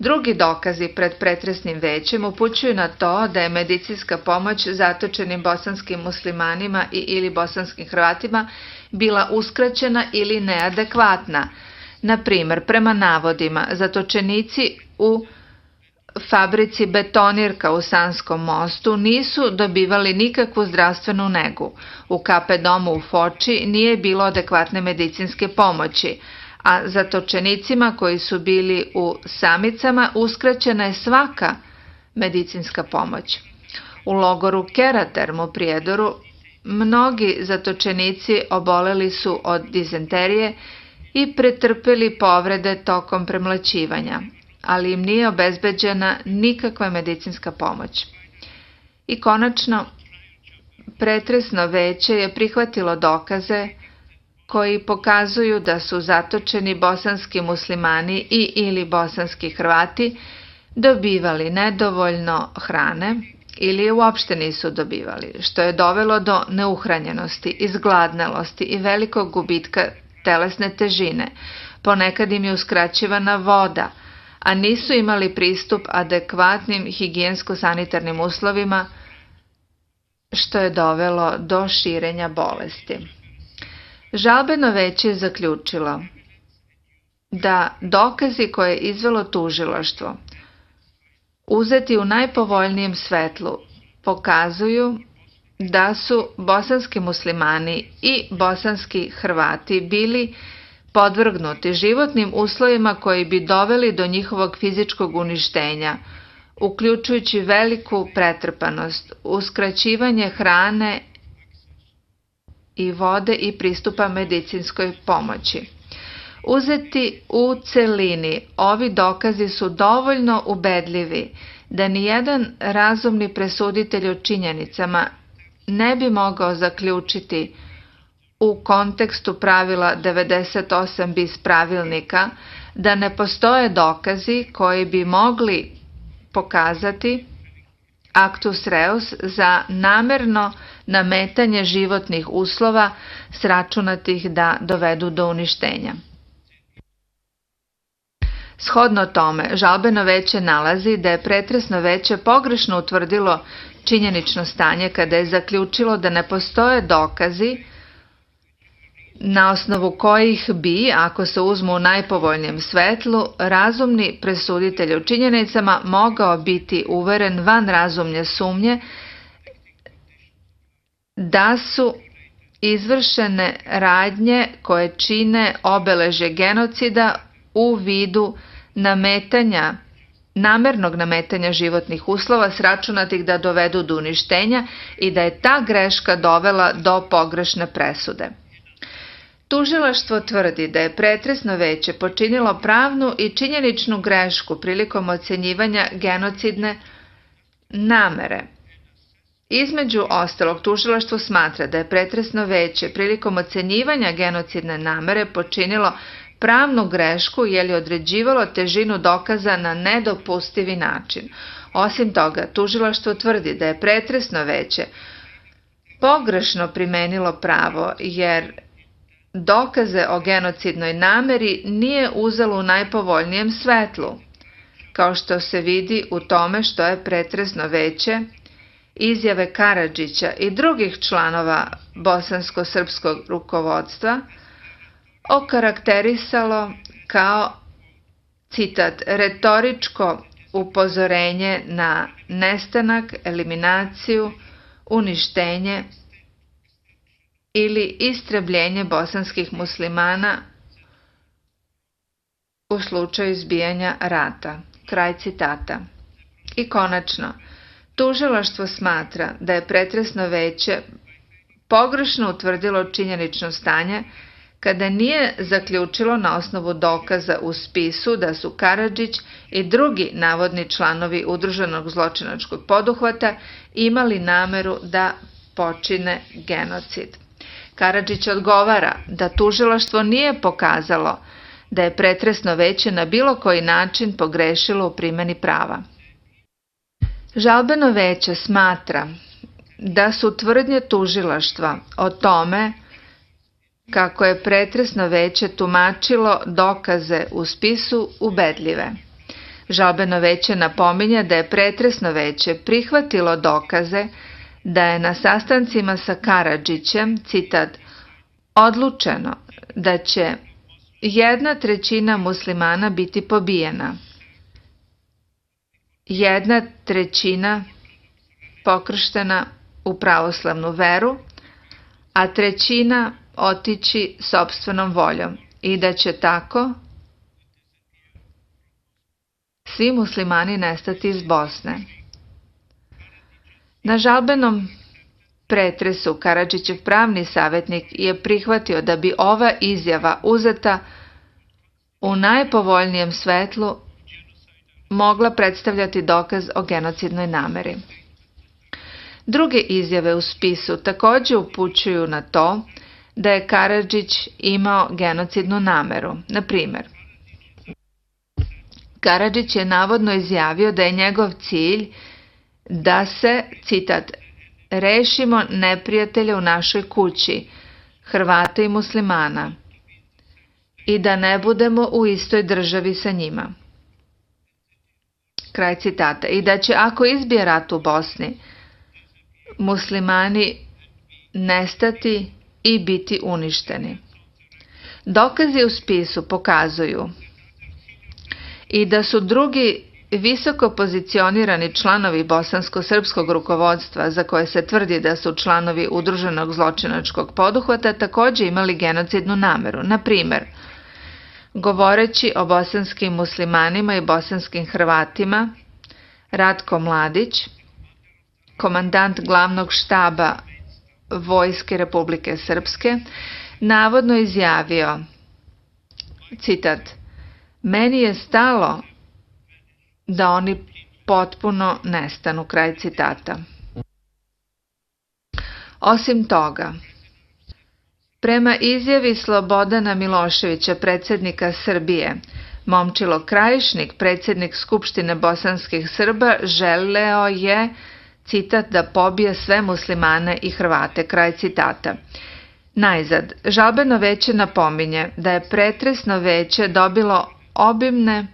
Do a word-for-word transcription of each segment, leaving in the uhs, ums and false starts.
Drugi dokazi pred pretresnim većem upućuju na to da je medicinska pomoć zatočenim bosanskim muslimanima i ili bosanskim Hrvatima bila uskraćena ili neadekvatna. Na primjer, prema navodima, zatočenici u fabrici Betonirka u Sanskom Mostu nisu dobivali nikakvu zdravstvenu negu. U K P domu u Foči nije bilo adekvatne medicinske pomoći, a zatočenicima koji su bili u Samicama uskraćena je svaka medicinska pomoć. U logoru Keraterm u Prijedoru mnogi zatočenici oboleli su od dizenterije i pretrpeli povrede tokom premlaćivanja, ali im nije obezbeđena nikakva medicinska pomoć. I konačno, pretresno veće je prihvatilo dokaze koji pokazuju da su zatočeni bosanski muslimani i ili bosanski Hrvati dobivali nedovoljno hrane ili je uopšte nisu dobivali, što je dovelo do neuhranjenosti, izgladnelosti i velikog gubitka telesne težine. Ponekad im je uskraćivana voda, a nisu imali pristup adekvatnim higijensko-sanitarnim uslovima, što je dovelo do širenja bolesti. Žalbeno veće je zaključilo da dokazi koje je izvelo tužilaštvo, uzeti u najpovoljnijem svetlu, pokazuju da su bosanski muslimani i bosanski Hrvati bili podvrgnuti životnim uslovima koji bi doveli do njihovog fizičkog uništenja, uključujući veliku pretrpanost, uskraćivanje hrane i vode i pristupa medicinskoj pomoći. Uzeti u celini, ovi dokazi su dovoljno ubedljivi da nijedan razumni presuditelj o činjenicama ne bi mogao zaključiti u kontekstu pravila devedeset osam bis pravilnika da ne postoje dokazi koji bi mogli pokazati actus reus za namerno nametanje životnih uslova sračunatih da dovedu do uništenja. Shodno tome, žalbeno veće nalazi da je pretresno veće pogrešno utvrdilo činjenično stanje kada je zaključilo da ne postoje dokazi na osnovu kojih bi, ako se uzmu u najpovoljnijem svetlu, razumni presuditelj u činjenicama mogao biti uveren van razumne sumnje da su izvršene radnje koje čine obeležje genocida u vidu nametanja, namernog nametanja životnih uslova sračunatih da dovedu do uništenja i da je ta greška dovela do pogrešne presude. Tužilaštvo tvrdi da je pretresno veće počinilo pravnu i činjeničnu grešku prilikom ocenjivanja genocidne namere. Između ostalog, tužilaštvo smatra da je pretresno veće prilikom ocenjivanja genocidne namere počinilo pravnu grešku jer je određivalo težinu dokaza na nedopustivi način. Osim toga, tužilaštvo tvrdi da je pretresno veće pogrešno primenilo pravo jer dokaze o genocidnoj nameri nije uzelo u najpovoljnijem svetlu, kao što se vidi u tome što je pretresno veće izjave Karadžića i drugih članova bosansko-srpskog rukovodstva okarakterisalo kao, citat, retoričko upozorenje na nestanak, eliminaciju, uništenje ili istrebljenje bosanskih muslimana u slučaju izbijanja rata. Kraj citata. I konačno, tužilaštvo smatra da je pretresno veće pogrešno utvrdilo činjenično stanje kada nije zaključilo na osnovu dokaza u spisu da su Karadžić i drugi navodni članovi udruženog zločinačkog poduhvata imali nameru da počine genocid. Karadžić odgovara da tužilaštvo nije pokazalo da je pretresno veće na bilo koji način pogrešilo u primjeni prava. Žalbeno veće smatra da su tvrdnje tužilaštva o tome kako je pretresno veće tumačilo dokaze u spisu ubedljive. Žalbeno veće napominje da je pretresno veće prihvatilo dokaze da je na sastancima sa Karadžićem, citat, odlučeno da će jedna trećina muslimana biti pobijena, jedna trećina pokrštena u pravoslavnu veru, a trećina otići sopstvenom voljom i da će tako svi muslimani nestati iz Bosne. Na žalbenom pretresu Karadžićev pravni savjetnik je prihvatio da bi ova izjava uzeta u najpovoljnijem svetlu mogla predstavljati dokaz o genocidnoj nameri. Druge izjave u spisu također upućuju na to da je Karadžić imao genocidnu nameru. Na primjer, Karadžić je navodno izjavio da je njegov cilj da se, citat, rešimo neprijatelja u našoj kući, Hrvata i muslimana, i da ne budemo u istoj državi sa njima. Kraj citata. I da će, ako izbije rat u Bosni, muslimani nestati i biti uništeni. Dokazi u spisu pokazuju i da su drugi visoko pozicionirani članovi bosansko-srpskog rukovodstva, za koje se tvrdi da su članovi udruženog zločinačkog poduhvata, također imali genocidnu nameru. Na primjer, govoreći o bosanskim muslimanima i bosanskim Hrvatima, Ratko Mladić, komandant glavnog štaba Vojske Republike Srpske, navodno izjavio, citat, meni je stalo da oni potpuno nestanu, kraj citata. Osim toga, prema izjavi Slobodana Miloševića, predsjednika Srbije, Momčilo Krajišnik, predsjednik Skupštine bosanskih Srba, želeo je, citat, da pobije sve muslimane i Hrvate, kraj citata. Najzad, žalbeno veće napominje da je pretresno veće dobilo obimne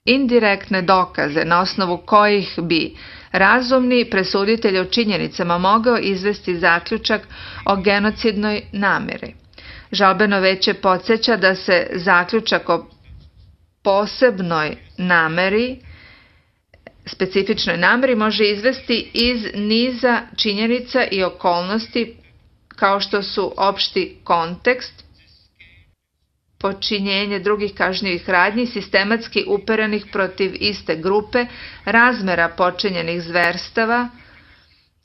indirektne dokaze na osnovu kojih bi razumni presuditelj o činjenicama mogao izvesti zaključak o genocidnoj nameri. Žalbeno veće podsjeća da se zaključak o posebnoj nameri, specifičnoj nameri, može izvesti iz niza činjenica i okolnosti kao što su opšti kontekst, počinjenje drugih kažnjivih radnji, sistematski uperenih protiv iste grupe, razmera počinjenih zverstava,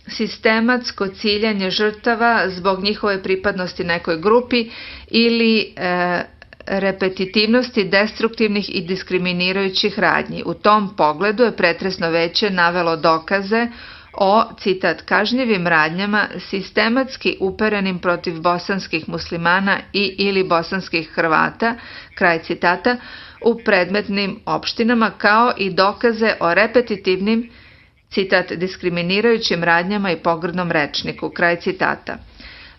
sistematsko ciljanje žrtava zbog njihove pripadnosti nekoj grupi ili e, repetitivnosti destruktivnih i diskriminirajućih radnji. U tom pogledu je pretresno veće navelo dokaze o, citat, kažnjivim radnjama sistematski uperenim protiv bosanskih muslimana i ili bosanskih Hrvata, kraj citata, u predmetnim opštinama, kao i dokaze o repetitivnim, citat, diskriminirajućim radnjama i pogrdnom rečniku, kraj citata.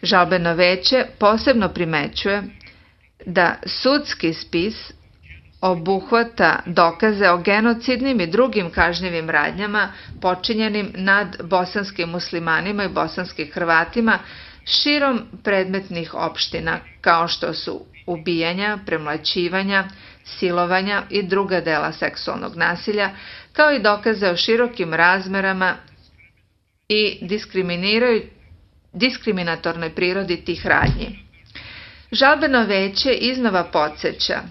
Žalbeno veće posebno primećuje da sudski spis obuhvata dokaze o genocidnim i drugim kažnjivim radnjama počinjenim nad bosanskim muslimanima i bosanskim Hrvatima širom predmetnih opština, kao što su ubijanja, premlaćivanja, silovanja i druga dela seksualnog nasilja, kao i dokaze o širokim razmerama i diskriminatornoj prirodi tih radnji. Žalbeno veće iznova podsjeća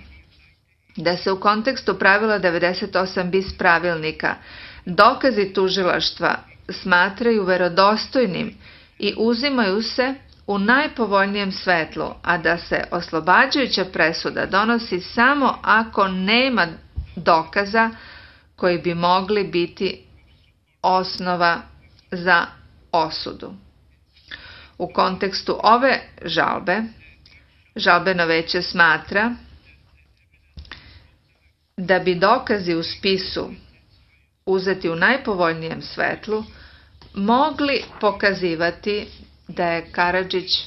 da se u kontekstu pravila devedeset osam bis pravilnika dokazi tužilaštva smatraju verodostojnim i uzimaju se u najpovoljnijem svetlu, a da se oslobađajuća presuda donosi samo ako nema dokaza koji bi mogli biti osnova za osudu. U kontekstu ove žalbe, žalbeno veće smatra da bi dokazi u spisu uzeti u najpovoljnijem svetlu mogli pokazivati da je Karadžić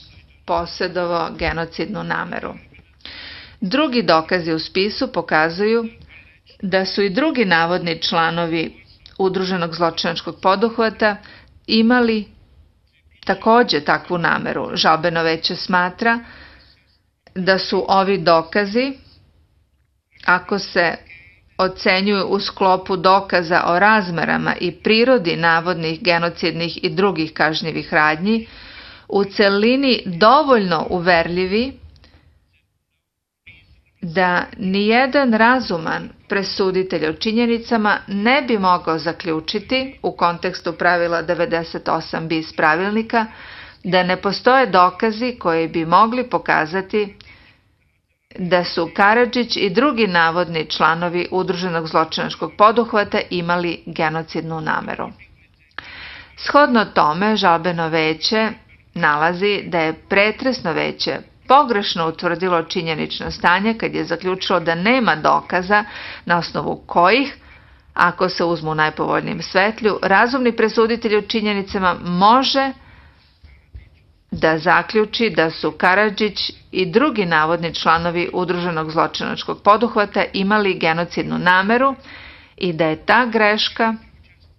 posjedovao genocidnu nameru. Drugi dokazi u spisu pokazuju da su i drugi navodni članovi udruženog zločinačkog poduhvata imali takođe takvu nameru. Žalbeno veće smatra da su ovi dokazi, ako se ocenjuju u sklopu dokaza o razmerama i prirodi navodnih genocidnih i drugih kažnjivih radnji, u celini dovoljno uverljivi da nijedan razuman presuditelj o činjenicama ne bi mogao zaključiti u kontekstu pravila devedeset osam bis pravilnika da ne postoje dokazi koji bi mogli pokazati da su Karadžić i drugi navodni članovi udruženog zločinačkog poduhvata imali genocidnu nameru. Shodno tome, žalbeno veće nalazi da je pretresno veće pogrešno utvrdilo činjenično stanje kad je zaključilo da nema dokaza na osnovu kojih, ako se uzmu u najpovoljnijem svetlju, razumni presuditelj u činjenicama može da zaključi da su Karadžić i drugi navodni članovi udruženog zločinačkog poduhvata imali genocidnu nameru i da je ta greška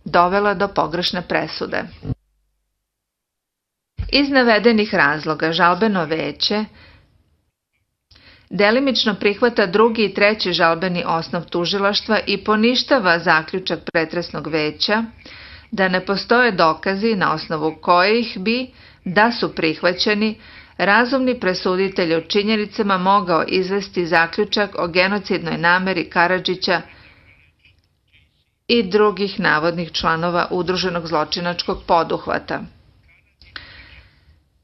dovela do pogrešne presude. Iz navedenih razloga žalbeno veće delimično prihvata drugi i treći žalbeni osnov tužilaštva i poništava zaključak pretresnog veća da ne postoje dokazi na osnovu kojih bi, da su prihvaćeni, razumni presuditelj o činjenicama mogao izvesti zaključak o genocidnoj nameri Karadžića i drugih navodnih članova udruženog zločinačkog poduhvata.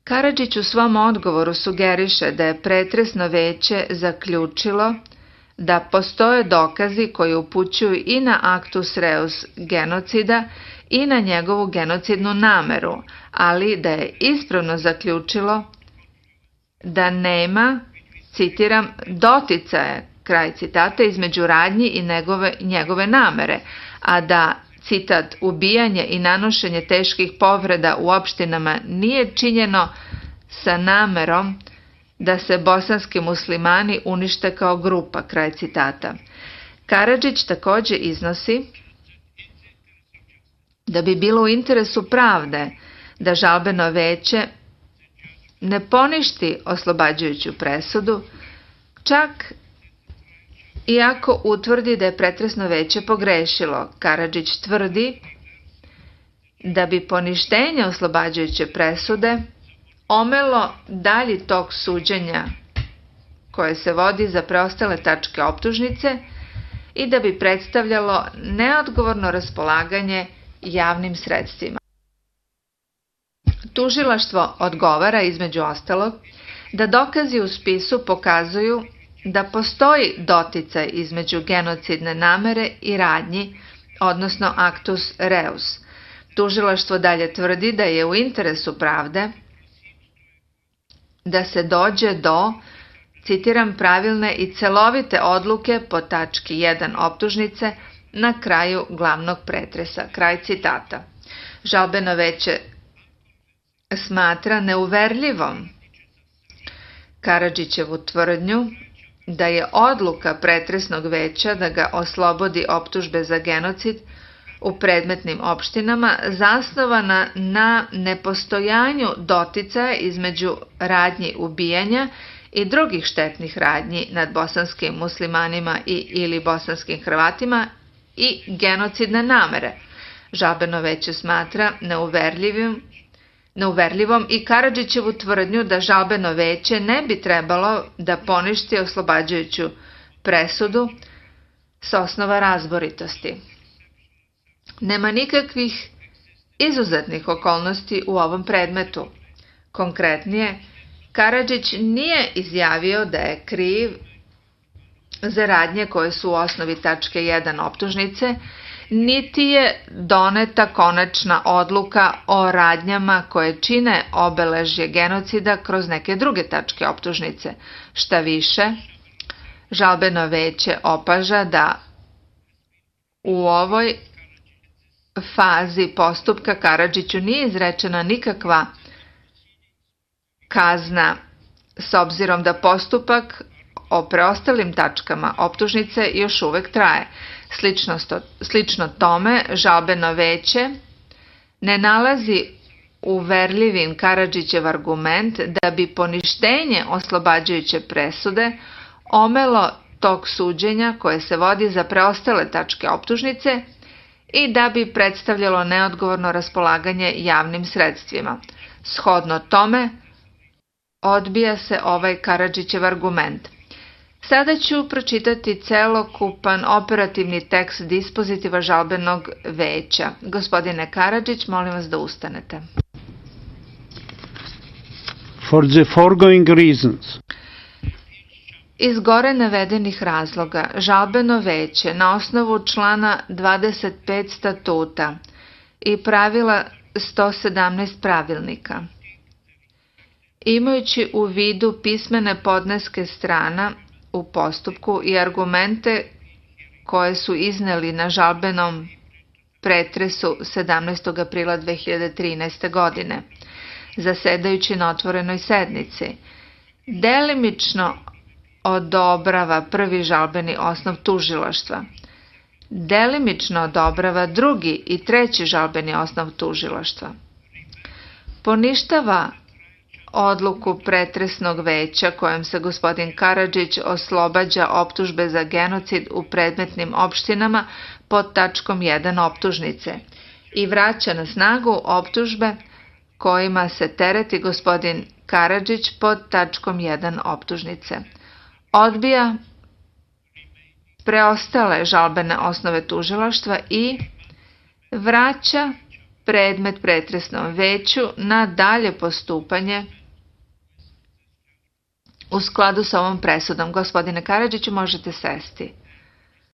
Karadžić u svom odgovoru sugeriše da je pretresno veće zaključilo da postoje dokazi koji upućuju i na actus reus genocida i na njegovu genocidnu nameru, ali da je ispravno zaključilo da nema, citiram, doticaje, kraj citata, između radnji i njegove, njegove namere, a da, citat, ubijanje i nanošenje teških povreda u opštinama nije činjeno sa namerom da se bosanski muslimani unište kao grupa, kraj citata. Karadžić takođe iznosi da bi bilo u interesu pravde da žalbeno veće ne poništi oslobađajuću presudu, čak iako utvrdi da je pretresno veće pogrešilo. Karadžić tvrdi da bi poništenje oslobađajuće presude omelo dalji tok suđenja koje se vodi za preostale tačke optužnice i da bi predstavljalo neodgovorno raspolaganje javnim sredstvima. Tužilaštvo odgovara, između ostalog, da dokazi u spisu pokazuju da postoji doticaj između genocidne namere i radnji, odnosno actus reus. Tužilaštvo dalje tvrdi da je u interesu pravde da se dođe do, citiram, pravilne i celovite odluke po tački jedan optužnice na kraju glavnog pretresa, kraj citata. Žalbeno veće smatra neuverljivom Karadžićevu tvrdnju da je odluka pretresnog veća da ga oslobodi optužbe za genocid u predmetnim opštinama zasnovana na nepostojanju doticaja između radnji ubijanja i drugih štetnih radnji nad bosanskim muslimanima i ili bosanskim Hrvatima i genocidne namere. Žalbeno veće smatra neuverljivim neuverljivom i Karadžićevu tvrdnju da žalbeno veće ne bi trebalo da poništi oslobađajuću presudu s osnova razboritosti. Nema nikakvih izuzetnih okolnosti u ovom predmetu. Konkretnije, Karadžić nije izjavio da je kriv za radnje koje su u osnovi tačke jedan optužnice, niti je doneta konačna odluka o radnjama koje čine obeležje genocida kroz neke druge tačke optužnice. Šta više, žalbeno veće opaža da u ovoj fazi postupka Karadžiću nije izrečena nikakva kazna s obzirom da postupak o preostalim tačkama optužnice još uvek traje. Slično, sto, slično tome, žalbeno veće ne nalazi uverljivim Karadžićev argument da bi poništenje oslobađajuće presude omelo tok suđenja koje se vodi za preostale tačke optužnice i da bi predstavljalo neodgovorno raspolaganje javnim sredstvima. Shodno tome, odbija se ovaj Karadžićev argument. Sada ću pročitati celokupan operativni tekst dispozitiva žalbenog veća. Gospodine Karadžić, molim vas da ustanete. For the foregoing reasons. Iz gore navedenih razloga, žalbeno veće na osnovu člana dvadeset pet statuta i pravila sto sedamnaest pravilnika, imajući u vidu pismene podneske strana u postupku i argumente koje su izneli na žalbenom pretresu sedamnaestog aprila dve hiljade trinaeste. godine, zasedajući na otvorenoj sednici, delimično odobrava prvi žalbeni osnov tužilaštva, delimično odobrava drugi i treći žalbeni osnov tužilaštva, poništava odluku pretresnog veća kojom se gospodin Karadžić oslobađa optužbe za genocid u predmetnim opštinama pod tačkom jedan optužnice i vraća na snagu optužbe kojima se tereti gospodin Karadžić pod tačkom jedan optužnice. Odbija preostale žalbene osnove tužilaštva i vraća predmet pretresnom veću na dalje postupanje u skladu sa ovom presudom. Gospodine Karadžiću, možete sesti.